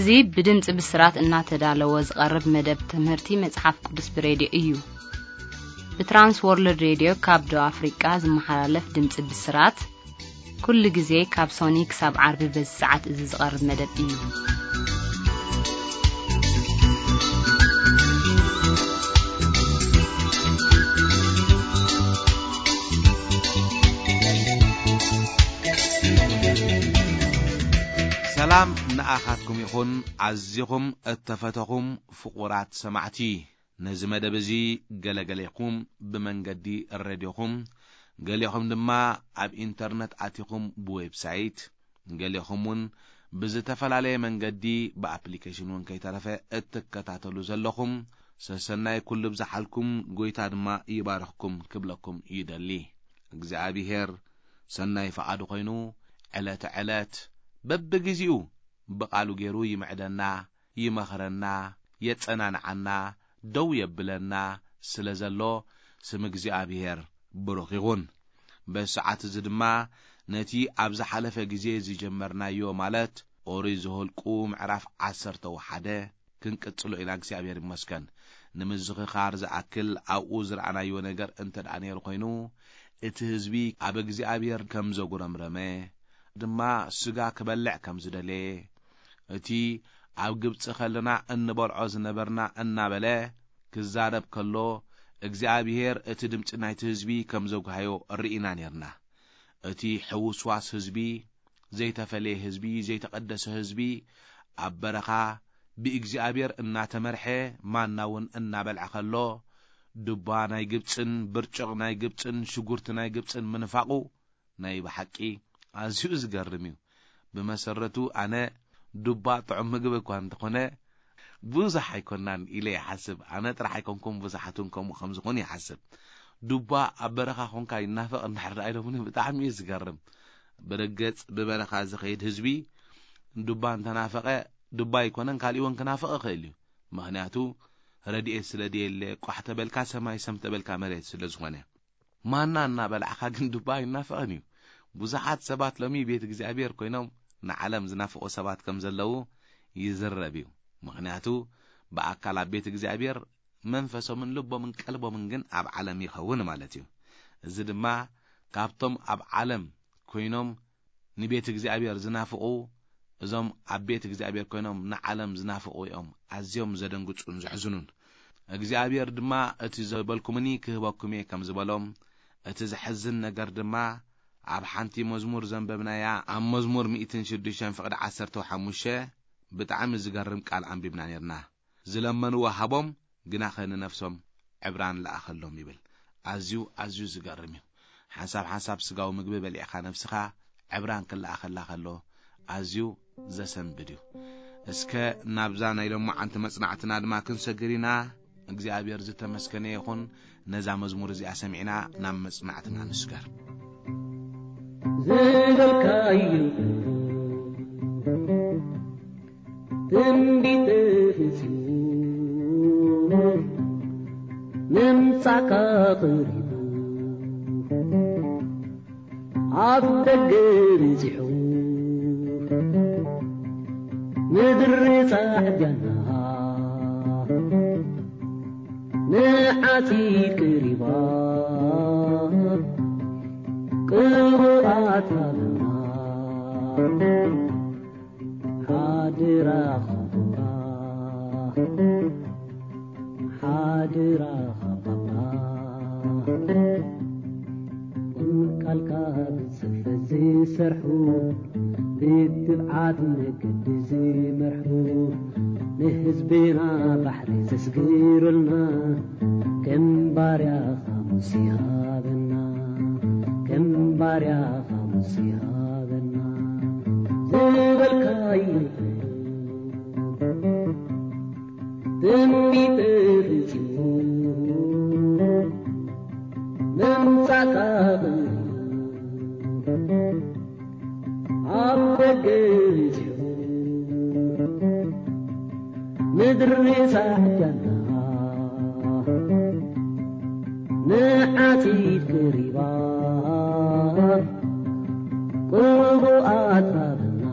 እዚ ብድምፂ ብስራት እናተዳለወ ዝቐርብ መደብ ትምህርቲ መጽሓፍ ቅዱስ ብሬድዮ እዩ። ብትራንስ ወርልድ ሬድዮ ካብ ደቡብ ኣፍሪቃ ዝመሓላለፍ ድምፂ ብስራት፣ ኩሉ ግዜ ካብ ሶኒ ክሳብ ዓርቢ በዚ ሰዓት እዚ ዝቐርብ መደብ እዩ። ሰላም ንኣኻትኩም ይኹን፣ ኣዚኹም እተፈተኹም ፍቑራት ሰማዕቲ። ነዚ መደብ እዚ ገለገሌኹም ብመንገዲ ሬድዮኹም፣ ገሌኹም ድማ ኣብ ኢንተርነት ኣቲኹም ብዌብሳይት፣ ገሌኹም እውን ብዝተፈላለየ መንገዲ ብኣፕሊኬሽን እውን ከይተረፈ እትከታተሉ ዘለኹም፣ ሰሰናይ ኩሉ ብዝሓልኩም፣ ጎይታ ድማ ይባርኽኩም ክብለኩም ይደሊ። እግዚኣብሄር ሰናይ ፍቓዱ ኮይኑ፣ ዕለተ ዕለት በብግዜኡ ብቓሉ ገይሩ ይምዕደና፣ ይመኽረና፣ የጸናንዓና፣ ደው የብለና ስለ ዘሎ፣ ስም እግዚኣብሄር ብሩኽ ይኹን። በዚ ሰዓት እዚ ድማ ነቲ ኣብ ዝሓለፈ ግዜ ዝጀመርናዮ፣ ማለት ኦሪት ዘኍልቁ ምዕራፍ ዓሰርተ ወሓደ ክንቅጽሎ ኢና። እግዚኣብሔር ይመስገን። ንምዝኽኻር ዝኣክል ኣብኡ ዝረኣናዮ ነገር እንተ ደኣ ነይሩ ኮይኑ፣ እቲ ህዝቢ ኣብ እግዚኣብሔር ከም ዘጉረምረመ፣ ድማ ስጋ ክበልዕ ከም ዝደለየ፣ እቲ ኣብ ግብጺ ከለና እንበልዖ ዝነበርና እናበለ ክዛረብ ከሎ፣ እግዚኣብሔር እቲ ድምጺ ናይቲ ህዝቢ ከም ዘጉሃዮ ርኢና ነርና። እቲ ሕውስዋስ ህዝቢ፣ ዘይተፈለየ ህዝቢ፣ ዘይተቐደሰ ህዝቢ፣ ኣብ በረኻ ብእግዚኣብሔር እናተመርሐ፣ ማና እውን እናበልዐ ከሎ፣ ዱባ ናይ ግብጽን ብርጭቕ ናይ ግብጽን ሽጉርቲ ናይ ግብጽን ምንፋቑ ናይ ብሓቂ ኣዝዩ ዝገርም እዩ። ብመሰረቱ ኣነ ዱባ ጥዑም ምግቢ እኳ እንተኾነ፣ ብዙሕ ኣይኮናን ኢለ ይሓስብ። ኣነ ጥራሕ ኣይኮንኩን፣ ብዙሓት እውን ከምኡ ከም ዝኾኑ ይሓስብ። ዱባ ኣብ በረኻ ኮንካ ይናፈቕ እንድሕር ደኣ ኢሎምኒ፣ ብጣዕሚ እዩ ዝገርም። ብርግጽ ብበረኻ ዝኸይድ ህዝቢ ዱባ እንተናፈቐ፣ ዱባ ኣይኮነን፣ ካሊእ እውን ክናፍቕ ይኽእል እዩ። ምኽንያቱ ረድኤት ስለ ደየለ፣ ቋሕ ተበልካ ሰማይ፣ ሰም ተበልካ መሬት ስለ ዝኾነ። ማና እናበላዕኻ ግን ዱባ ኣይናፍቕን እዩ። ብዙሓት ሰባት ሎሚ ቤት እግዚኣብሔር ኮይኖም ንዓለም ዝናፍቑ ሰባት ከም ዘለዉ ይዝረብ እዩ። ምኽንያቱ ብኣካል ኣብ ቤት እግዚኣብሔር መንፈሶምን ልቦምን ቀልቦምን ግን ኣብ ዓለም ይኸውን ማለት እዩ። እዚ ድማ ካብቶም ኣብ ዓለም ኮይኖም ንቤት እግዚኣብሔር ዝናፍቑ፣ እዞም ኣብ ቤት እግዚኣብሔር ኮይኖም ንዓለም ዝናፍቑ እዮም ኣዝዮም ዘደንግጹን ዘሕዝኑን። እግዚኣብሔር ድማ እቲ ዝበልኩምኒ ክህበኩም እየ ከም ዝበሎም፣ እቲ ዘሕዝን ነገር ድማ ኣብ ሓንቲ መዝሙር ዘንበብናያ፣ ኣብ መዝሙር ሚእትን ሽዱሽተን ፍቕዲ ዓሰርተ ሓሙሽተ ብጣዕሚ ዝገርም ቃል ኣንቢብና ነርና። ዝለመንዎ ሃቦም፣ ግናኸ ንነፍሶም ዕብራን ለኣኸሎም ይብል። ኣዝዩ፣ ኣዝዩ ዝገርም እዩ። ሓንሳብ ሓንሳብ ስጋዊ ምግቢ በሊዕኻ ነፍስኻ ዕብራን ክለኣኸላ ከሎ ኣዝዩ ዘሰንብድ እዩ። እስከ ናብዛ ናይ ሎማዓንቲ መጽናዕትና ድማ ክንሰግር ኢና። እግዚኣብሔር ዝተመስገነ ይኹን። ነዛ መዝሙር እዚኣ ሰሚዕና ናብ መጽናዕትና ንስገር። ዝበልካዩ ትንቢት ፍጺሙ ምምጻእካ ቀሪቡ ኣብ ደገ በጺሑ ምድሪ ጻዕዳና ንዓጺድ ቀሪባ ቅቡኣት ሃበና። ሓደራኻ ባባ፣ ሓደራኻ ባባ፣ ቃልካ ብጽፈት ዝሰርሑ፣ ብትብዓት መገዲ ዝመርሑ፣ ንህዝብና ባሕሪ ዘስግሩልና፣ ከም ባርያኻ ሙሴ ሃበና፣ ከም ባርያኻ ሙሴ ሃበና። ዝበልካዮ ትንቢት ፈጺሙ ምምጻእካ ኣብ ደገ በጺሑ ምድሪ ጻዕዳና ንዓጺድ ቀሪባ ቅቡኣት ሃበና።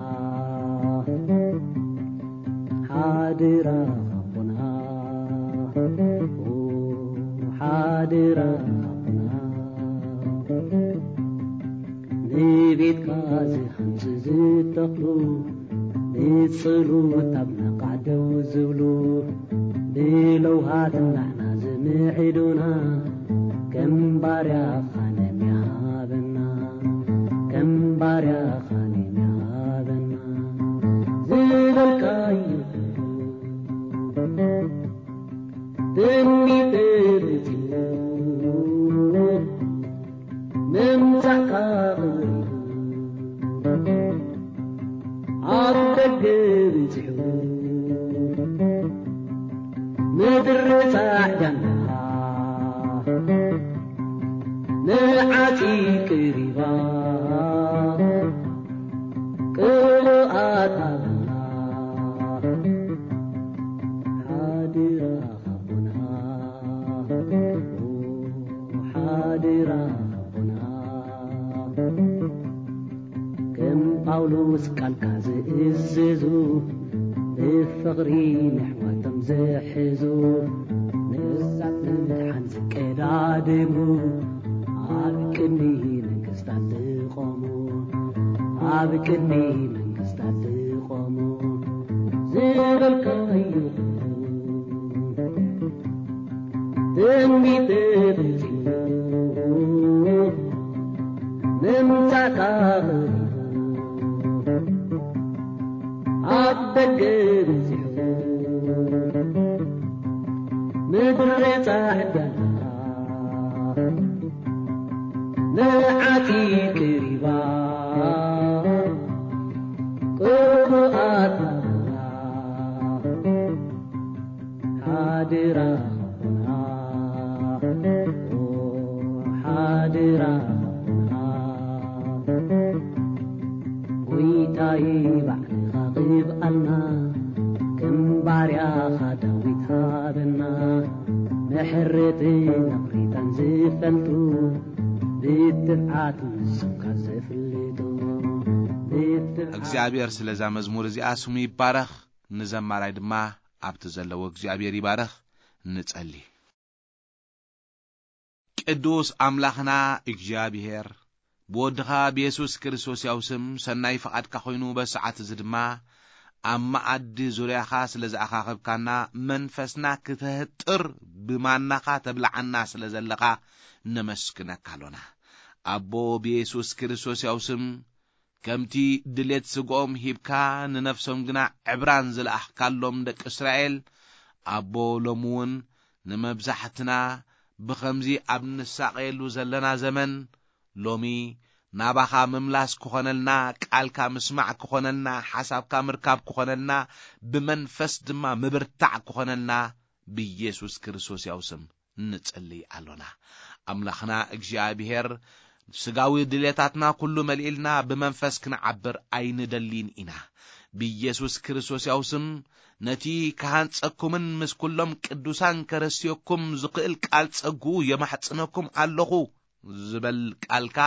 ንቤትካ ዝሃንጹ ዝተኽሉ፣ ንጽሉት ኣብ ነቓዕ ደው ዝብሉ፣ ብለውሃት ናዕና ዝምዕዱና፣ ከም ባርያኻ ነሚሃበና፣ ከም ባርያኻ ነሚሃበና፣ ዝበልካዮ ትንቢት ተፈጺሙ፣ ምምጻእካ ቀሪቡ፣ ኣብ ደገ በጺሑ፣ ምድሪ ጻዕዳና ንዓጺ ቀሪባ፣ ቅብኣት ሃበና፣ ሓደራ ሓቦና፣ ሓደራ ሓቦና። ከም ጳውሎስ ቃልካ ዝእዝዙ፣ ብፍቕሪ ነሕዋቶም ዝሕዙ፣ ንሳት ንምድሓን ዝቀዳደሙ፣ ኣብ ቅድሚ መንግስታት ዝቖሙ፣ ኣብ ቅድሚ መንግስታት ዝቖሙ፣ ዝበልካዮ ትንቢት ተፈጺሙ፣ ምምጻእካ ቀሪቡ፣ ኣብ ደገ በጺሑ፣ ምድሪ ጻዕዳ ንዓቲ ቀሪባ፣ ቅቡኣት ናብራ፣ ሓደራ ሓቦና፣ ኦ፣ ሓደራ ሓቦና። ጎይታይ ባዕልኻ ቅብኣልና፣ ከም ባርያኻ ዳዊት ሃበና፣ ምሕረትን ይቕሬታን ዝፈልጡ፣ ብትብዓት ንስምካ ዘፍልጡ፣ ብትብዓት እግዚኣብሔር ስለዛ መዝሙር እዚኣ ስሙ ይባረኽ፣ ንዘማራይ ድማ ኣብቲ ዘለዎ እግዚኣብሔር ይባረኽ። ንጸሊ። ቅዱስ ኣምላኽና እግዚኣብሔር፣ ብወድኻ ብየሱስ ክርስቶስ ያው ስም ሰናይ ፍቓድካ ኮይኑ፣ በዚ ሰዓት እዚ ድማ ኣብ መኣዲ ዙርያኻ ስለ ዝኣኻኸብካና፣ መንፈስና ክተህጥር፣ ብማናኻ ተብልዓና ስለ ዘለኻ ነመስግነካ ኣሎና። ኣቦ፣ ብየሱስ ክርስቶስ ያው ስም ከምቲ ድሌት ስግኦም ሂብካ፣ ንነፍሶም ግና ዕብራን ዝለኣኽካሎም ደቂ እስራኤል፣ ኣቦ፣ ሎሚ እውን ንመብዛሕትና ብኸምዚ ኣብ ንሳቐየሉ ዘለና ዘመን፣ ሎሚ ናባኻ ምምላስ ክኾነልና፣ ቃልካ ምስማዕ ክኾነልና፣ ሓሳብካ ምርካብ ክኾነልና፣ ብመንፈስ ድማ ምብርታዕ ክኾነልና፣ ብኢየሱስ ክርስቶስ ያው ስም ንጽሊ ኣሎና። ኣምላኽና እግዚኣብሔር፣ ስጋዊ ድሌታትና ኩሉ መሊእልና ብመንፈስ ክንዓብር ኣይንደሊን ኢና። ብኢየሱስ ክርስቶስ ያው ስም፣ ነቲ ክሃንጸኩምን ምስ ኩሎም ቅዱሳን ከረስየኩም ዝኽእል ቃል ጸጉ የማሕጽነኩም ኣለኹ ዝበል ቃልካ፣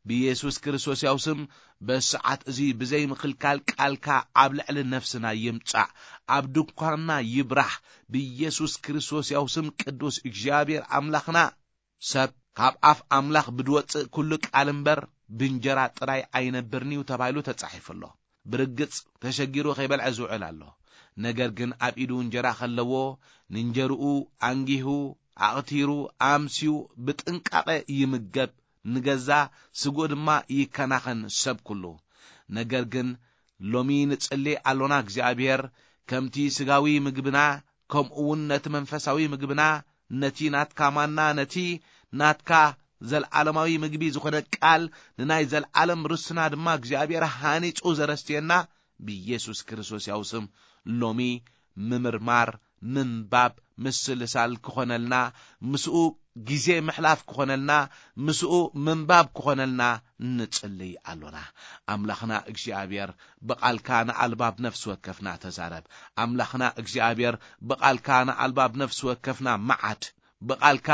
ብኢየሱስ ክርስቶስ ያው ስም፣ በሰዓት እዚ ብዘይ ምኽልካል ቃልካ ኣብ ልዕሊ ነፍስና ይምጻእ፣ ኣብ ድንኳንና ይብራህ። ብኢየሱስ ክርስቶስ ያው ስም፣ ቅዱስ እግዚኣብሔር ኣምላኽና፣ ሰብ ካብ ኣፍ ኣምላኽ ብድወጽእ ኩሉ ቃል እምበር ብእንጀራ ጥራይ ኣይነብርን እዩ ተባሂሉ ተጻሒፉ ኣሎ። ብርግጽ ተሸጊሩ ከይበልዐ ዝውዕል ኣሎ። ነገር ግን ኣብ ኢዱ እንጀራ ከለዎ፣ ንእንጀርኡ ኣንጊሁ፣ ኣቕቲሩ፣ ኣምስዩ ብጥንቃቐ ይምገብ፣ ንገዛ ስግኡ ድማ ይከናኸን ሰብ ኩሉ። ነገር ግን ሎሚ ንጽሊ ኣሎና፣ እግዚኣብሔር፣ ከምቲ ስጋዊ ምግብና፣ ከምኡ እውን ነቲ መንፈሳዊ ምግብና፣ ነቲ ናትካ ማና፣ ነቲ ናትካ ዘልዓለማዊ ምግቢ ዝኾነ ቃል፣ ንናይ ዘልዓለም ርስና ድማ እግዚኣብሔር ሃኒጹ ዘረስትየና፣ ብኢየሱስ ክርስቶስ ያው ስም ሎሚ ምምርማር፣ ምንባብ፣ ምስልሳል ክኾነልና፣ ምስኡ ግዜ ምሕላፍ ክኾነልና፣ ምስኡ ምንባብ ክኾነልና ንጽልይ ኣሎና። ኣምላኽና እግዚኣብሔር፣ ብቓልካ ንኣልባብ ነፍሲ ወከፍና ተዛረብ። ኣምላኽና እግዚኣብሔር፣ ብቓልካ ንኣልባብ ነፍሲ ወከፍና መዓድ። ብቓልካ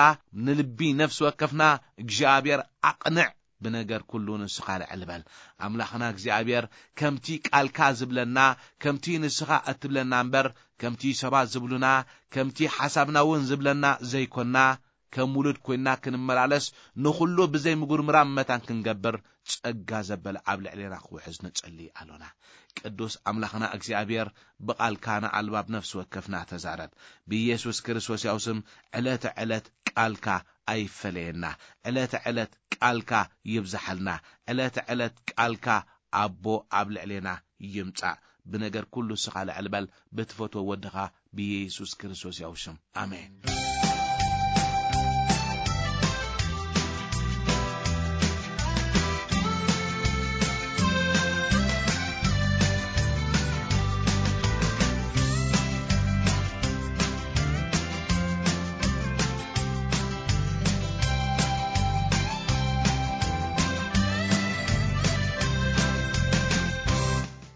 ንልቢ ነፍሲ ወከፍና እግዚኣብሔር ኣቕንዕ። ብነገር ኩሉ ንስኻ ልዕል በል። ኣምላኽና እግዚኣብሔር፣ ከምቲ ቃልካ ዝብለና፣ ከምቲ ንስኻ እትብለና እምበር፣ ከምቲ ሰባት ዝብሉና፣ ከምቲ ሓሳብና እውን ዝብለና ዘይኮንና፣ ከም ውሉድ ኮይንና ክንመላለስ፣ ንኹሉ ብዘይ ምጉርምራም መታን ክንገብር፣ ጸጋ ዘበለ ኣብ ልዕሌና ክውሕዝ ንጸሊ ኣሎና። ቅዱስ ኣምላኽና እግዚኣብሔር፣ ብቓልካ ንኣልባብ ነፍሲ ወከፍና ተዛረብ። ብኢየሱስ ክርስቶስ ያው ስም ዕለተ ዕለት ቃልካ ኣይፈለየና። ዕለተ ዕለት ቃልካ ይብዝሓልና። ዕለተ ዕለት ቃልካ ኣቦ ኣብ ልዕሌና ይምጻእ። ብነገር ኩሉ ስኻ ልዕል በል፣ ብትፈትዎ ወድኻ ብኢየሱስ ክርስቶስ ያው ሽም። ኣሜን።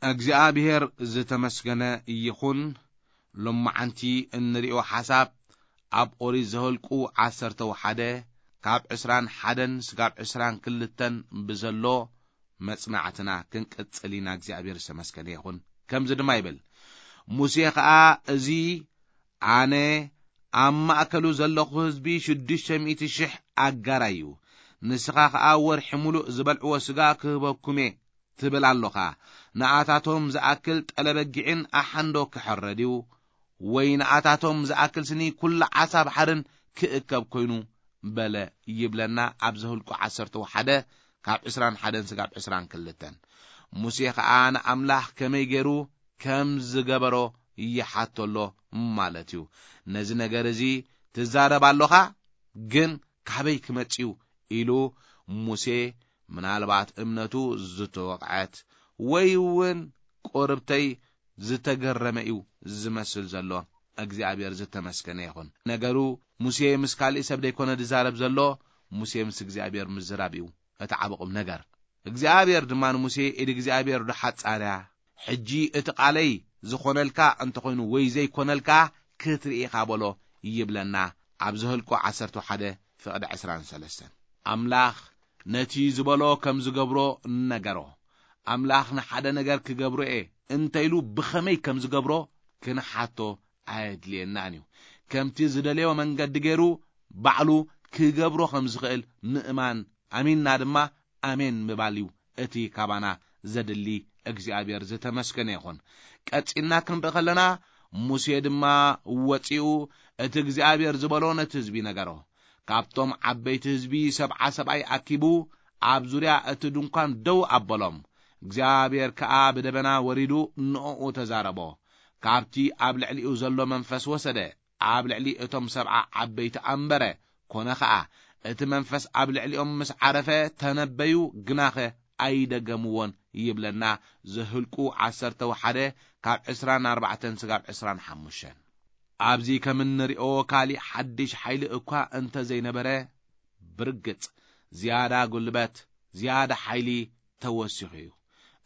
እግዚኣብሔር ዝተመስገነ ይኹን። ሎማዓንቲ እንሪኦ ሓሳብ ኣብ ኦሪት ዘኍልቁ ዓሰርተ ሓደ ካብ ዕስራን ሓደን ስጋብ ዕስራን ክልተን ብዘሎ መጽናዕትና ክንቅጽል ኢና። እግዚኣብሔር ዝተመስገነ ይኹን። ከምዚ ድማ ይብል፣ ሙሴ ኸኣ፣ እዚ ኣነ ኣብ ማእከሉ ዘለኹ ህዝቢ ሽዱሽተ ሚእቲ ሽሕ ኣጋር እዩ። ንስኻ ኸኣ ወርሒ ምሉእ ዝበልዕዎ ስጋ ክህበኩም እየ ትብል ኣሎኻ። ንኣታቶም ዝኣክል ጠለ በጊዕን ኣሓንዶ ክሕረድ እዩ፣ ወይ ንኣታቶም ዝኣክል ስኒ ኩሉ ዓሳ ባሕርን ክእከብ ኮይኑ በለ ይብለና ኣብ ዘኍልቁ ዓሰርተ ሓደ ካብ ዕስራን ሓደን ስጋብ ዕስራን ክልተን። ሙሴ ኸኣ ንኣምላኽ ከመይ ገይሩ ከም ዝገበሮ ይሓቶ ኣሎ ማለት እዩ። ነዚ ነገር እዚ ትዛረብ ኣሎኻ፣ ግን ካበይ ክመጽእ እዩ ኢሉ ሙሴ ምናልባት እምነቱ ዝተወቕዐት ወይ እውን ቁርብተይ ዝተገረመ እዩ ዝመስል ዘሎ። እግዚኣብሔር ዝተመስገነ ይኹን። ነገሩ ሙሴ ምስ ካሊእ ሰብ ደይኮነ ዝዛረብ ዘሎ፣ ሙሴ ምስ እግዚኣብሔር ምዝራብ እዩ እቲ ዓቢ ቁም ነገር። እግዚኣብሔር ድማ ንሙሴ፣ ኢድ እግዚኣብሔር ዶ ሓጻር እያ? ሕጂ እቲ ቃለይ ዝኾነልካ እንተኾይኑ ወይ ዘይኮነልካ ክትርኢ ኢኻ በሎ ይብለና ኣብ ዘኍልቁ ዓሰርተ ሓደ ፍቕዲ ዕስራን ሰለስተን። ኣምላኽ ነቲ ዝበሎ ከም ዝገብሮ ነገሮ። ኣምላኽ ንሓደ ነገር ክገብሮ እየ እንተ ኢሉ ብኸመይ ከም ዝገብሮ ክንሓቶ ኣየድልየናን እዩ። ከምቲ ዝደለዮ መንገዲ ገይሩ ባዕሉ ክገብሮ ከም ዝኽእል ምእማን፣ ኣሚንና ድማ ኣሜን ምባል እዩ እቲ ካባና ዘድሊ። እግዚኣብሔር ዝተመስገነ ይኹን። ቀጺልና ክንርኢ ከለና፣ ሙሴ ድማ ወጺኡ እቲ እግዚኣብሔር ዝበሎ ነቲ ህዝቢ ነገሮ። ካብቶም ዓበይቲ ህዝቢ ሰብዓ ሰብኣይ ኣኪቡ ኣብ ዙርያ እቲ ድንኳን ደው ኣበሎም። እግዚኣብሔር ከኣ ብደበና ወሪዱ ንእኡ ተዛረቦ። ካብቲ ኣብ ልዕሊኡ ዘሎ መንፈስ ወሰደ፣ ኣብ ልዕሊ እቶም ሰብዓ ዓበይቲ ኣንበረ። ኮነ ኸኣ፣ እቲ መንፈስ ኣብ ልዕሊኦም ምስ ዓረፈ ተነበዩ፣ ግናኸ ኣይደገምዎን ይብለና ዘኍልቁ ዓሰርተ ሓደ ካብ ዕስራን ኣርባዕተን ስጋብ ዕስራን ሓሙሽተን። ኣብዚ ከም እንሪኦ ካሊእ ሓድሽ ሓይሊ እኳ እንተ ዘይነበረ፣ ብርግጽ ዝያዳ ጉልበት፣ ዝያዳ ሓይሊ ተወሲኹ እዩ።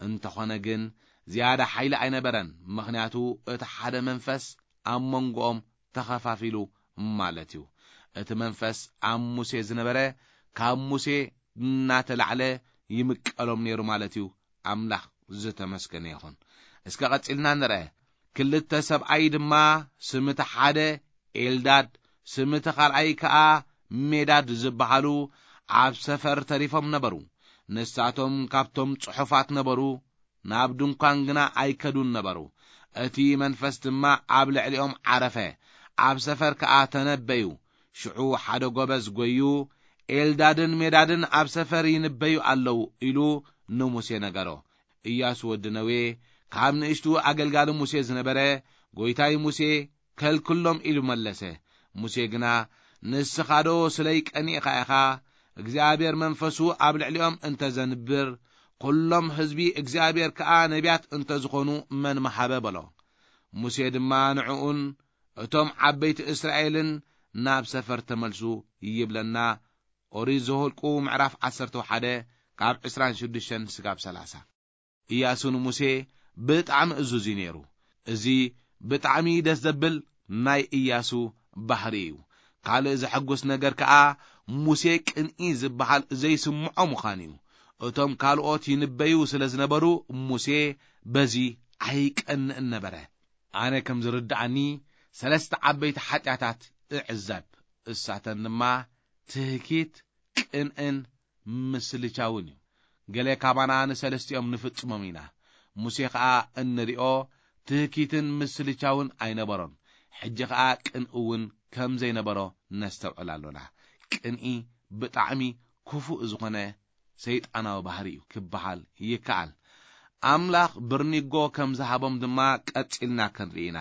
እንተኾነ ግን ዝያዳ ሓይሊ ኣይነበረን፣ ምኽንያቱ እቲ ሓደ መንፈስ ኣብ መንጎኦም ተኸፋፊሉ ማለት እዩ። እቲ መንፈስ ኣብ ሙሴ ዝነበረ ካብ ሙሴ እናተላዕለ ይምቀሎም ነይሩ ማለት እዩ። ኣምላኽ ዝተመስገነ ይኹን። እስከ ቀጺልና ንርአ። ክልተ ሰብኣይ ድማ፣ ስም እቲ ሓደ ኤልዳድ፣ ስም እቲ ካልኣይ ከኣ ሜዳድ ዝበሃሉ ኣብ ሰፈር ተሪፎም ነበሩ። ንሳቶም ካብቶም ጽሑፋት ነበሩ፣ ናብ ድንኳን ግና ኣይከዱን ነበሩ። እቲ መንፈስ ድማ ኣብ ልዕሊኦም ዓረፈ፣ ኣብ ሰፈር ከኣ ተነበዩ። ሽዑ ሓደ ጎበዝ ጐዩ፣ ኤልዳድን ሜዳድን ኣብ ሰፈር ይንበዩ ኣለዉ ኢሉ ንሙሴ ነገሮ። ኢያሱ ወዲ ነዌ፣ ካብ ንእሽቱ ኣገልጋሊ ሙሴ ዝነበረ፣ ጎይታይ ሙሴ፣ ከልክሎም ኢሉ መለሰ። ሙሴ ግና፣ ንስኻዶ ስለይ ቀኒእኻ ኢኻ? እግዚኣብሔር መንፈሱ ኣብ ልዕሊኦም እንተ ዘንብር፣ ኵሎም ህዝቢ እግዚኣብሔር ከኣ ነቢያት እንተ ዝኾኑ መን ምሃበ? በሎ። ሙሴ ድማ ንዕኡን እቶም ዓበይቲ እስራኤልን ናብ ሰፈር ተመልሱ ይብለና። ኦሪት ዘኍልቁ ምዕራፍ ዓሰርተ ሓደ ካብ ዕስራን ሽዱሽተን ስጋብ ሰላሳ። ኢያሱ ንሙሴ ብጣዕሚ እዙዝ እዩ ነይሩ። እዚ ብጣዕሚ ደስ ዘብል ናይ ኢያሱ ባህሪ እዩ። ካልእ ዘሐጉስ ነገር ከኣ ሙሴ ቅንኢ ዝበሃል ዘይስምዖ ምዃኑ እዩ። እቶም ካልኦት ይንበዩ ስለ ዝነበሩ ሙሴ በዚ ኣይቀንእን ነበረ። ኣነ ከም ዝርድኣኒ ሰለስተ ዓበይቲ ሓጢኣታት እዕዘብ። እሳተን ድማ ትህኪት፣ ቅንእን ምስልቻውን እዩ። ገለ ካባና ንሰለስቲኦም ንፍጽሞም ኢና። ሙሴ ኸኣ እንሪኦ ትህኪትን ምስልቻውን ኣይነበሮን። ሕጂ ኸኣ ቅንኢ እውን ከም ዘይነበሮ ነስተውዕል ኣሎና። ቅንኢ ብጣዕሚ ክፉእ ዝኾነ ሰይጣናዊ ባህሪ እዩ ክበሃል ይከኣል። ኣምላኽ ብርኒጎ ከም ዝሃቦም ድማ ቀጺልና ክንርኢ ኢና።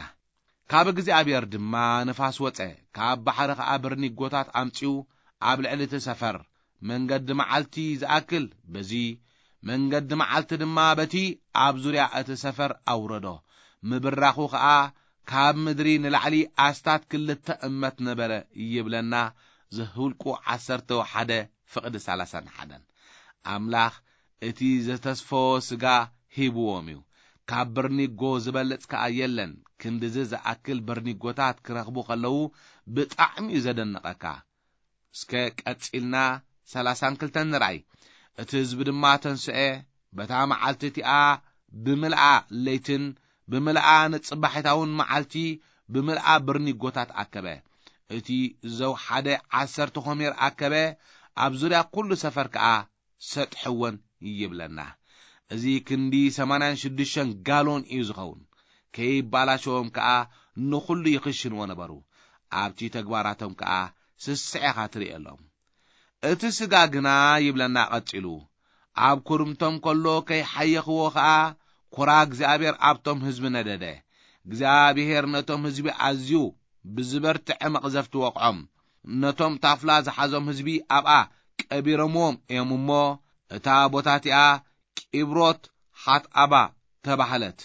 ካብ እግዚኣብሔር ድማ ንፋስ ወጸ፣ ካብ ባሕሪ ኸኣ ብርኒጎታት ኣምጺኡ ኣብ ልዕሊ እቲ ሰፈር መንገዲ መዓልቲ ዝኣክል በዚ መንገዲ መዓልቲ ድማ በቲ ኣብ ዙርያ እቲ ሰፈር ኣውረዶ። ምብራኹ ኸኣ ካብ ምድሪ ንላዕሊ ኣስታት ክልተ እመት ነበረ ይብለና። ዘኍልቁ ዓሰርተ ሓደ ፍቕዲ ሰላሳን ሓደን። ኣምላኽ እቲ ዘተስፈዎ ስጋ ሂብዎም እዩ። ካብ በርኒጎ ዝበልጽ ከኣ የለን። ክንድዚ ዝኣክል በርኒጎታት ክረኽቡ ከለዉ ብጣዕሚ እዩ ዘደንቐካ። እስከ ቀጺልና ሰላሳን ክልተን ንርኣይ። እቲ ህዝቢ ድማ ተንስኤ፣ በታ መዓልቲ እቲኣ ብምልኣ ለይትን ብምልኣ ንጽባሒታውን መዓልቲ ብምልኣ በርኒጎታት ኣከበ። እቲ ዘው ሓደ ዓሰርተ ኾሜር ኣከበ፣ ኣብ ዙርያ ኩሉ ሰፈር ከኣ ሰጥሕወን ይብለና። እዚ ክንዲ ሰማንያን ሽዱሽተን ጋሎን እዩ ዝኸውን። ከይባላሸዎም ከኣ ንኹሉ ይኽሽንዎ ነበሩ። ኣብቲ ተግባራቶም ከኣ ስስዕ ኢኻ ትርእየሎም። እቲ ስጋ ግና ይብለና ቀጺሉ፣ ኣብ ኩርምቶም ከሎ ከይሓየኽዎ ኸኣ ኩራ እግዚኣብሔር ኣብቶም ህዝቢ ነደደ። እግዚኣብሔር ነቶም ህዝቢ ኣዝዩ ብዝበርትዐ መቕዘፍቲ ወቕዖም። ነቶም ታፍላ ዝሓዞም ህዝቢ ኣብኣ ቀቢሮምዎም እዮም እሞ፣ እታ ቦታ እቲኣ ቂብሮት ሓትኣባ ተባህለት።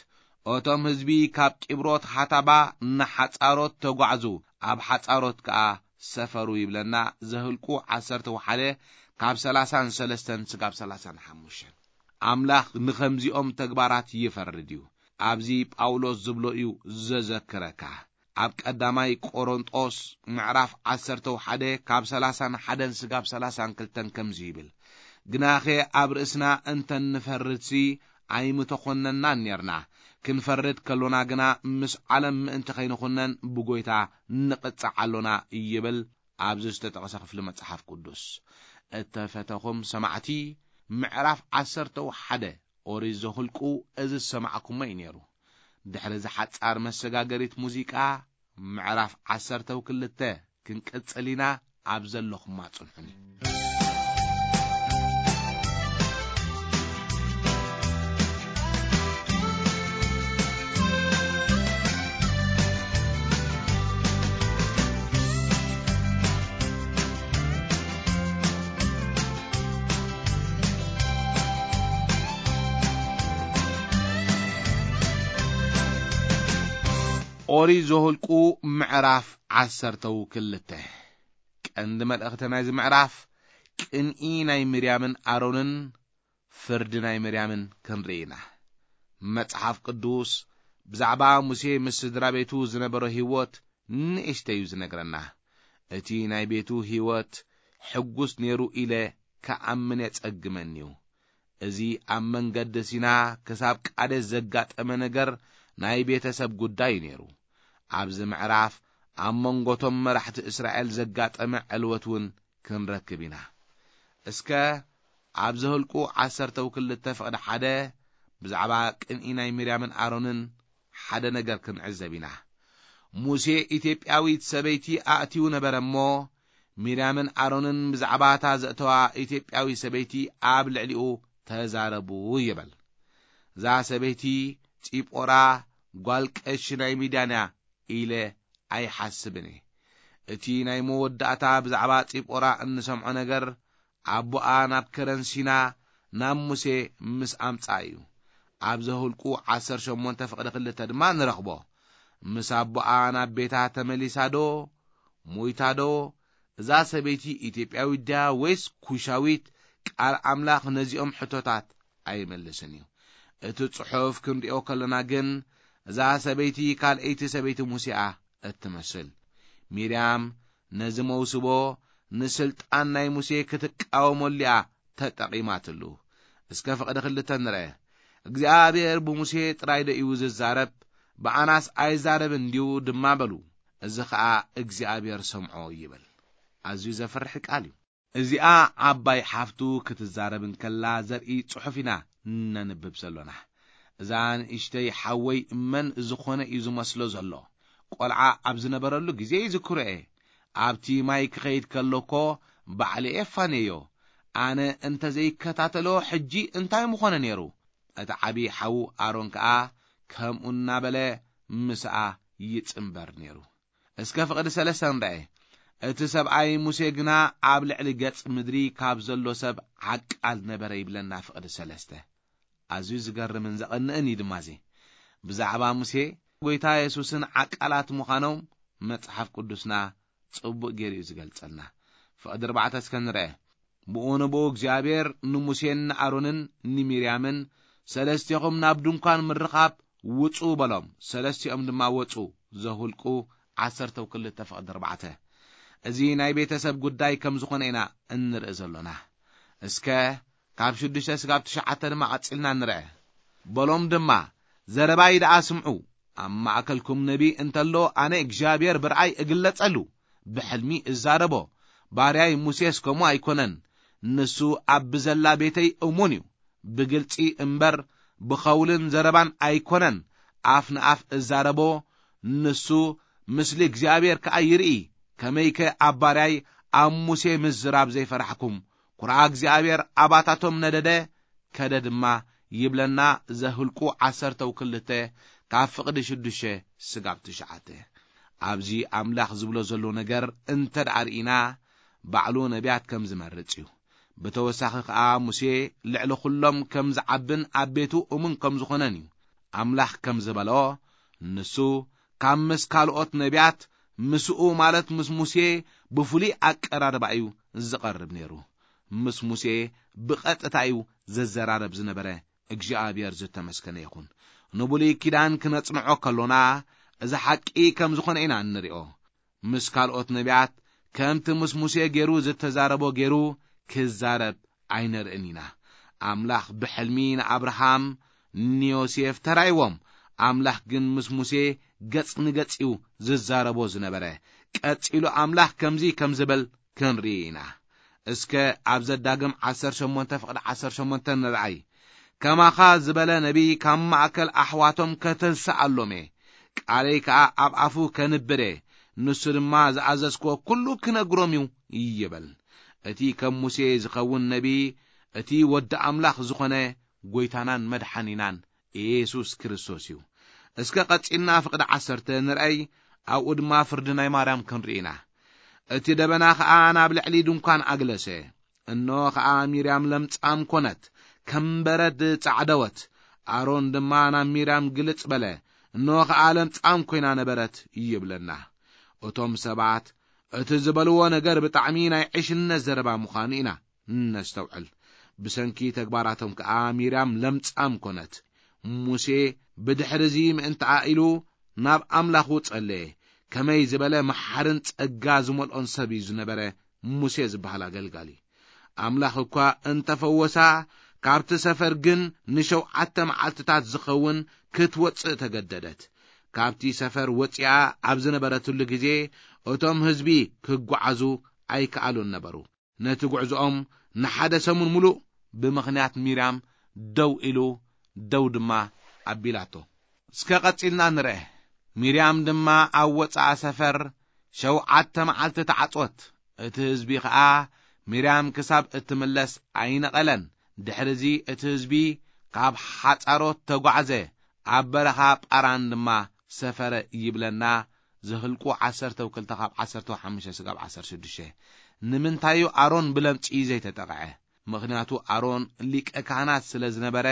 እቶም ህዝቢ ካብ ቂብሮት ሓታባ ንሓጻሮት ተጓዕዙ፣ ኣብ ሓጻሮት ከኣ ሰፈሩ ይብለና። ዘህልቁ ዓሰርተ ሓደ ካብ ሰላሳን ሰለስተን ስጋብ ሰላሳን ሓሙሽተን። ኣምላኽ ንኸምዚኦም ተግባራት ይፈርድ እዩ። ኣብዚ ጳውሎስ ዝብሎ እዩ ዘዘክረካ። ኣብ ቀዳማይ ቆሮንጦስ ምዕራፍ ዓሰርተ ሓደ ካብ ሰላሳን ሓደን ስጋብ ሰላሳን ክልተን ከምዚ ይብል፣ ግናኸ ኣብ ርእስና እንተ ንፈርድሲ ኣይምተኾነናን ኔርና፣ ክንፈርድ ከሎና ግና ምስ ዓለም ምእንቲ ከይንኹነን ብጎይታ ንቕጻዕ ኣሎና ይብል። ኣብዚ ዝተጠቕሰ ክፍሊ መጽሓፍ ቅዱስ። እተፈተኹም ሰማዕቲ፣ ምዕራፍ ዓሰርተ ሓደ ኦሪት ዘሁልቁ እዚ ዝሰማዕኩሞ እዩ ነይሩ። ድሕሪ እዚ ሓጻር መሰጋገሪት ሙዚቃ፣ ምዕራፍ ዓሰርተ ክልተ ክንቅጽል ኢና። ኣብ ዘለኹማ ጽንሑኒ። ኦሪት ዘኍልቁ ምዕራፍ ዓሰርተው ክልተ። ቀንዲ መልእኽቲ ናይዚ ምዕራፍ ቅንኢ ናይ ምርያምን ኣሮንን ፍርዲ ናይ ምርያምን ክንርኢ ኢና። መጽሓፍ ቅዱስ ብዛዕባ ሙሴ ምስ ስድራ ቤቱ ዝነበሮ ህይወት ንእሽተይ እዩ ዝነግረና። እቲ ናይ ቤቱ ህይወት ሕጉስ ነይሩ ኢለ ክኣምን የጸግመኒ እዩ። እዚ ኣብ መንገዲ ሲና ክሳብ ቃዴስ ዘጋጠመ ነገር ናይ ቤተሰብ ጉዳይ እዩ ነይሩ። ኣብዚ ምዕራፍ ኣብ መንጎቶም መራሕቲ እስራኤል ዘጋጠመ ዕልወት እውን ክንረክብ ኢና። እስከ ኣብ ዘኍልቁ ዓሰርተው ክልተ ፍቕዲ ሓደ ብዛዕባ ቅንኢ ናይ ሚርያምን ኣሮንን ሓደ ነገር ክንዕዘብ ኢና። ሙሴ ኢትዮጵያዊት ሰበይቲ ኣእትዩ ነበረ እሞ፣ ሚርያምን ኣሮንን ብዛዕባ እታ ዘእተዋ ኢትዮጵያዊ ሰበይቲ ኣብ ልዕሊኡ ተዛረቡ ይብል። እዛ ሰበይቲ ጺጶራ ጓል ቀሺ ናይ ሚድያን እያ ኢለ ኣይሓስብን እየ። እቲ ናይ መወዳእታ ብዛዕባ ጺጶራ እንሰምዖ ነገር፣ ኣቦኣ ናብ ከረን ሲና ናብ ሙሴ ምስ ኣምጽኣ እዩ። ኣብ ዘኍልቁ ዓሰርተ ሸሞንተ ፍቕዲ ክልተ ድማ ንረኽቦ። ምስ ኣቦኣ ናብ ቤታ ተመሊሳ ዶ፣ ሞይታ ዶ፣ እዛ ሰበይቲ ኢትዮጵያዊት ድያ ወይስ ኩሻዊት? ቃል ኣምላኽ ነዚኦም ሕቶታት ኣይመልስን እዩ። እቲ ጽሑፍ ክንሪኦ ከለና ግን፣ እዛ ሰበይቲ ካልኣይቲ ሰበይቲ ሙሴ እያ እትመስል። ሚርያም ነዚ መውስቦ ንስልጣን ናይ ሙሴ ክትቃወመሉ እያ ተጠቒማትሉ። እስከ ፍቕዲ ክልተ ንርአ። እግዚኣብሔር ብሙሴ ጥራይ ዶ እዩ ዝዛረብ? ብኣናስ ኣይዛረብን ድዩ ድማ በሉ። እዚ ኸኣ እግዚኣብሔር ሰምዖ ይብል። ኣዝዩ ዘፍርሕ ቃል እዩ። እዚኣ ዓባይ ሓፍቱ ክትዛረብ እንከላ ዘርኢ ጽሑፍ ኢና ነንብብ ዘሎና። እዛ ንእሽተይ ሓወይ መን ዝኾነ እዩ ዝመስሎ ዘሎ። ቆልዓ ኣብ ዝነበረሉ ግዜ ይዝክሮ እየ። ኣብቲ ማይ ክኸይድ ከሎኮ ባዕለ እየ ፋንየዮ። ኣነ እንተ ዘይከታተሎ ሕጂ እንታይ ምኾነ ነይሩ? እቲ ዓቢ ሓዉ ኣሮን ከኣ ከምኡ እናበለ ምስኣ ይጽንበር ነይሩ። እስከ ፍቕዲ ሰለስተ ንርአ። እቲ ሰብኣይ ሙሴ ግና ኣብ ልዕሊ ገጽ ምድሪ ካብ ዘሎ ሰብ ዓቃል ነበረ ይብለና ፍቕዲ ሰለስተ። ኣዝዩ ዝገርምን ዘቐንእን እዩ ድማ እዚ። ብዛዕባ ሙሴ ጎይታ የሱስን ዓቃላት ምዃኖም መጽሓፍ ቅዱስና ጽቡቕ ገይሩ እዩ ዝገልጸልና። ፍቕዲ ኣርባዕተ እስከ ንርአ። ብኡ ንብኡ እግዚኣብሔር ንሙሴን ንኣሮንን ንሚርያምን፣ "ሰለስቴኹም ናብ ድንኳን ምርኻብ ውጹ" በሎም። ሰለስቲኦም ድማ ወጹ። ዘሁልቁ ዓሰርተ ክልተ ፍቕዲ ኣርባዕተ። እዚ ናይ ቤተሰብ ጉዳይ ከም ዝኾነ ኢና እንርኢ ዘሎና። እስከ ካብ ሽዱሽተ ስጋብ ትሽዓተ ድማ ቀጺልና ንርአ። በሎም ድማ፣ "ዘረባይ ደኣ ስምዑ። ኣብ ማእከልኩም ነቢ እንተሎ ኣነ እግዚኣብሔር ብርኣይ እግለጸሉ፣ ብሕልሚ እዛረቦ። ባርያይ ሙሴስ ከምኡ ኣይኮነን። ንሱ ኣብ ብዘላ ቤተይ እሙን እዩ። ብግልጺ እምበር ብኸውልን ዘረባን ኣይኮነን ኣፍ ንኣፍ እዛረቦ። ንሱ ምስሊ እግዚኣብሔር ከኣ ይርኢ። ከመይከ ኣብ ባርያይ ኣብ ሙሴ ምዝራብ ዘይፈራሕኩም? ኩርዓ እግዚኣብሔር ኣባታቶም ነደደ፣ ከደ ድማ" ይብለና ዘህልቁ ዓሰርተ ክልተ ካብ ፍቕዲ ሽዱሽተ ስጋብ ትሽዓተ። ኣብዚ ኣምላኽ ዝብሎ ዘሎ ነገር እንተ ደኣ ርኢና፣ ባዕሉ ነቢያት ከም ዝመርጽ እዩ። ብተወሳኺ ከኣ ሙሴ ልዕሊ ኩሎም ከም ዝዓብን ኣብ ቤቱ እሙን ከም ዝኾነን እዩ። ኣምላኽ ከም ዝበሎ፣ ንሱ ካብ ምስ ካልኦት ነቢያት ምስኡ ማለት ምስ ሙሴ ብፍሉይ ኣቀራርባ እዩ ዝቐርብ ነይሩ። ምስ ሙሴ ብቐጥታ እዩ ዘዘራረብ ዝነበረ። እግዚኣብሔር ዝተመስገነ ይኹን። ንብሉይ ኪዳን ክነጽንዖ ከሎና፣ እዚ ሓቂ ከም ዝኾነ ኢና እንሪኦ። ምስ ካልኦት ነቢያት ከምቲ ምስ ሙሴ ገይሩ ዝተዛረቦ ገይሩ ክዛረብ ኣይንርእን ኢና። ኣምላኽ ብሕልሚ ንኣብርሃም፣ ንዮሴፍ ተራእይዎም። ኣምላኽ ግን ምስ ሙሴ ገጽ ንገጽ እዩ ዝዛረቦ ዝነበረ። ቀጺሉ ኣምላኽ ከምዚ ከም ዝብል ክንርኢ ኢና። እስከ ኣብ ዘዳግም ዓሰርተ ሸሞንተ ፍቕዲ ዓሰርተ ሸሞንተ ንርኣይ። "ከማኻ ዝበለ ነቢይ ካብ ማእከል ኣሕዋቶም ከተንስኣሎም እየ። ቃለይ ከኣ ኣብ ኣፉ ከንብር እየ። ንሱ ድማ ዝኣዘዝክዎ ኩሉ ክነግሮም እዩ" ይብል። እቲ ከም ሙሴ ዝኸውን ነቢይ፣ እቲ ወዲ ኣምላኽ ዝኾነ ጎይታናን መድሓኒናን ኢየሱስ ክርስቶስ እዩ። እስከ ቀጺልና ፍቕዲ ዓሰርተ ንርኣይ፣ ኣብኡ ድማ ፍርዲ ናይ ማርያም ክንርኢ ኢና። "እቲ ደበና ኸኣ ናብ ልዕሊ ድንኳን ኣግለሰ። እኖ ኸኣ ሚርያም ለምጻም ኮነት፣ ከም በረድ ጻዕደወት። ኣሮን ድማ ናብ ሚርያም ግልጽ በለ፣ እኖ ኸኣ ለምጻም ኮይና ነበረት" ይብለና። እቶም ሰባት እቲ ዝበልዎ ነገር ብጣዕሚ ናይ ዕሽነት ዘረባ ምዃኑ ኢና ነስተውዕል። ብሰንኪ ተግባራቶም ከኣ ሚርያም ለምጻም ኮነት። ሙሴ ብድሕሪ እዚ ምእንትኣ ኢሉ ናብ ኣምላኹ ጸለየ። ከመይ ዝበለ መሓርን ጸጋ ዝመልኦን ሰብ እዩ ዝነበረ ሙሴ ዝበሃል ኣገልጋሊ። ኣምላኽ እኳ እንተፈወሳ፣ ካብቲ ሰፈር ግን ንሸውዓተ መዓልትታት ዝኸውን ክትወጽእ ተገደደት። ካብቲ ሰፈር ወጺኣ ኣብ ዝነበረትሉ ግዜ፣ እቶም ህዝቢ ክጓዓዙ ኣይከኣሉን ነበሩ። ነቲ ጉዕዞኦም ንሓደ ሰሙን ምሉእ ብምኽንያት ሚርያም ደው ኢሉ፣ ደው ድማ ኣቢላቶ። እስከ ቀጺልና ንርአ። ሚርያም ድማ ኣብ ወጻኢ ሰፈር ሸውዓተ መዓልቲ ተዓጽወት። እቲ ህዝቢ ኸኣ ሚርያም ክሳብ እትምለስ ኣይነቐለን። ድሕርዚ እቲ ህዝቢ ካብ ሓጻሮት ተጓዕዘ፣ ኣብ በረኻ ጳራን ድማ ሰፈረ ይብለና። ዘህልቁ ዓሰርተ ክልተ ካብ ዓሰርተ ሓሙሽተ ስጋብ ዓሰርተ ሽዱሽተ። ንምንታይ እዩ ኣሮን ብለምጺ ዘይተጠቕዐ? ምኽንያቱ ኣሮን ሊቀ ካህናት ስለ ዝነበረ፣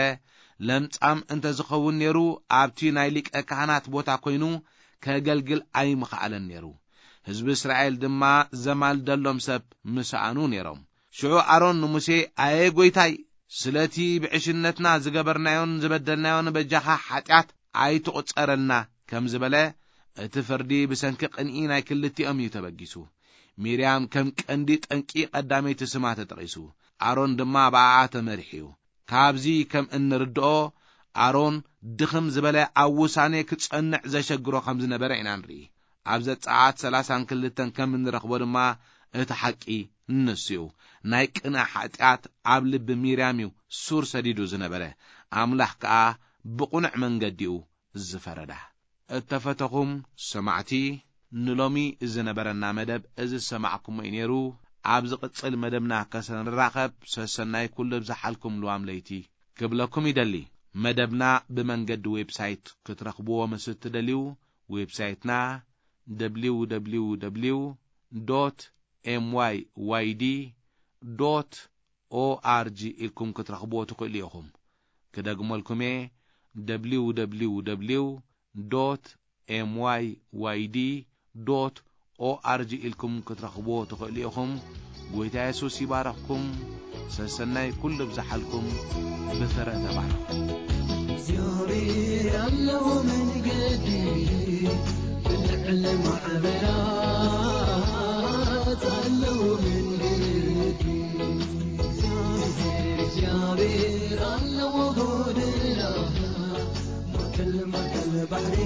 ለምጻም እንተ ዝኸውን ነይሩ፣ ኣብቲ ናይ ሊቀ ካህናት ቦታ ኮይኑ ከገልግል ኣይምኸኣለን ነይሩ። ህዝቢ እስራኤል ድማ ዘማልደሎም ሰብ ምሰኣኑ ነይሮም። ሽዑ ኣሮን ንሙሴ፣ "ኣየ ጐይታይ፣ ስለቲ ብዕሽነትና ዝገበርናዮን ዝበደልናዮን በጃኻ ሓጢኣት ኣይትቑጸረልና" ከም ዝበለ፣ እቲ ፍርዲ ብሰንኪ ቅንኢ ናይ ክልቲኦም እዩ ተበጊሱ። ሚርያም ከም ቀንዲ ጠንቂ ቀዳመይቲ ስማ ተጠቒሱ። ኣሮን ድማ ብኣኣ ተመሪሑ እዩ። ካብዚ ከም እንርድኦ፣ ኣሮን ድኽም ዝበለ ኣብ ውሳኔ ክጸንዕ ዘሸግሮ ከም ዝነበረ ኢና ንርኢ። ኣብ ዘጸኣት ሰላሳን ክልተን ከም እንረኽቦ ድማ፣ እቲ ሓቂ ንሱ እዩ። ናይ ቅንኣ ሓጢኣት ኣብ ልቢ ሚርያም እዩ ሱር ሰዲዱ ዝነበረ። ኣምላኽ ከኣ ብቕኑዕ መንገዲኡ ዝፈረዳ። እተፈተኹም ሰማዕቲ፣ ንሎሚ ዝነበረና መደብ እዚ ዝሰማዕኩሞ እዩ ነይሩ። ኣብ ዝቕጽል መደብና ከሰንራኸብ ሰሰናይ ኩሉ ብዝሓልኩም ልዋም ለይቲ ክብለኩም ይደሊ። መደብና ብመንገዲ ዌብሳይት ክትረኽብዎ ምስ እትደልዩ፣ ዌብሳይትና ደብሊው ደብሊው ደብሊው ዶት ኤም ዋይ ዋይ ዲ ዶት ኦ ኣር ጂ ኢልኩም ክትረኽብዎ ትኽእሉ ኢኹም። ክደግመልኩም እየ፣ ደብሊው ደብሊው ደብሊው ዶት ኤም ዋይ ዋይ ዲ ዶት ኦ ኣር ጂ ኢልኩም ክትረኽብዎ ትኽእሉ ኢኹም። ጎይታ የሱስ ይባረኽኩም። ሰሰናይ ኩሉ ብዝሓልኩም። ብፍረ ተባረኹ። እግዚኣብሔር ኣለዎ መንገዲ፣ ብልዕሊ ማዕበላት ኣለዎ መንገዲ። እግዚኣብሔር ኣለዎ ጎደና፣ ማእከል ማእከል ባሕሪ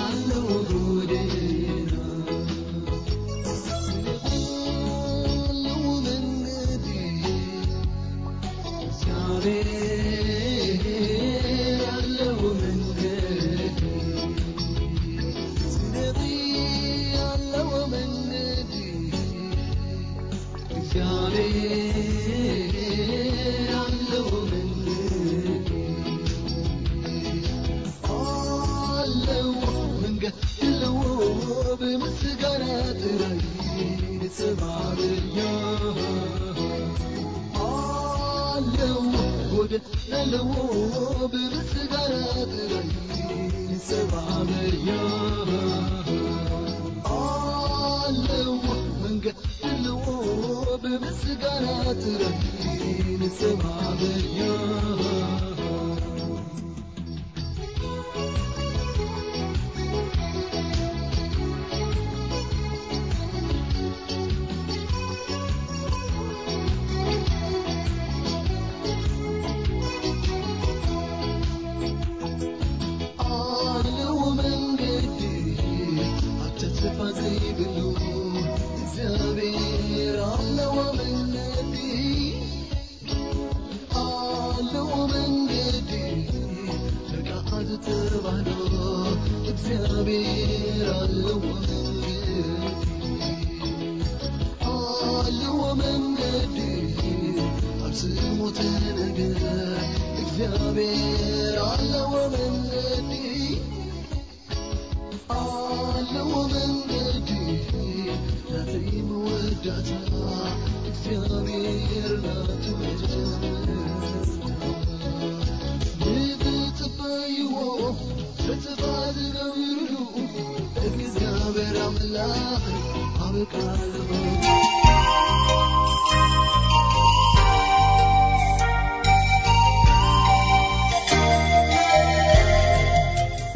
ኣለዎ ጎደና።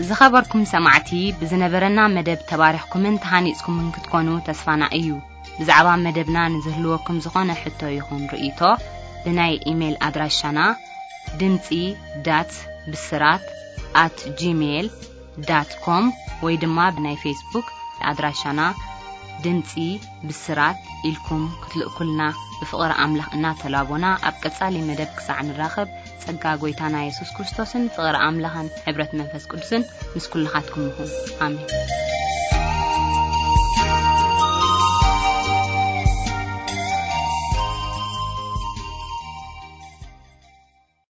ዝኸበርኩም ሰማዕቲ፣ ብዝነበረና መደብ ተባሪኽኩምን ተሃኒጽኩምን ክትኮኑ ተስፋና እዩ። ብዛዕባ መደብና ንዝህልወኩም ዝኾነ ሕቶ ይኹን ርእይቶ፣ ብናይ ኢሜይል ኣድራሻና ድምጺ ዳት ብስራት ኣት ጂሜይል ዳት ኮም ወይ ድማ ብናይ ፌስቡክ ኣድራሻና ድምጺ ብስራት ኢልኩም ክትልእኩልና ብፍቕሪ ኣምላኽ እናተላቦና፣ ኣብ ቀጻሊ መደብ ክሳዕ ንራኸብ፣ ጸጋ ጐይታና የሱስ ክርስቶስን ፍቕሪ ኣምላኽን ሕብረት መንፈስ ቅዱስን ምስ ኩልኻትኩም ይኹን። ኣሜን።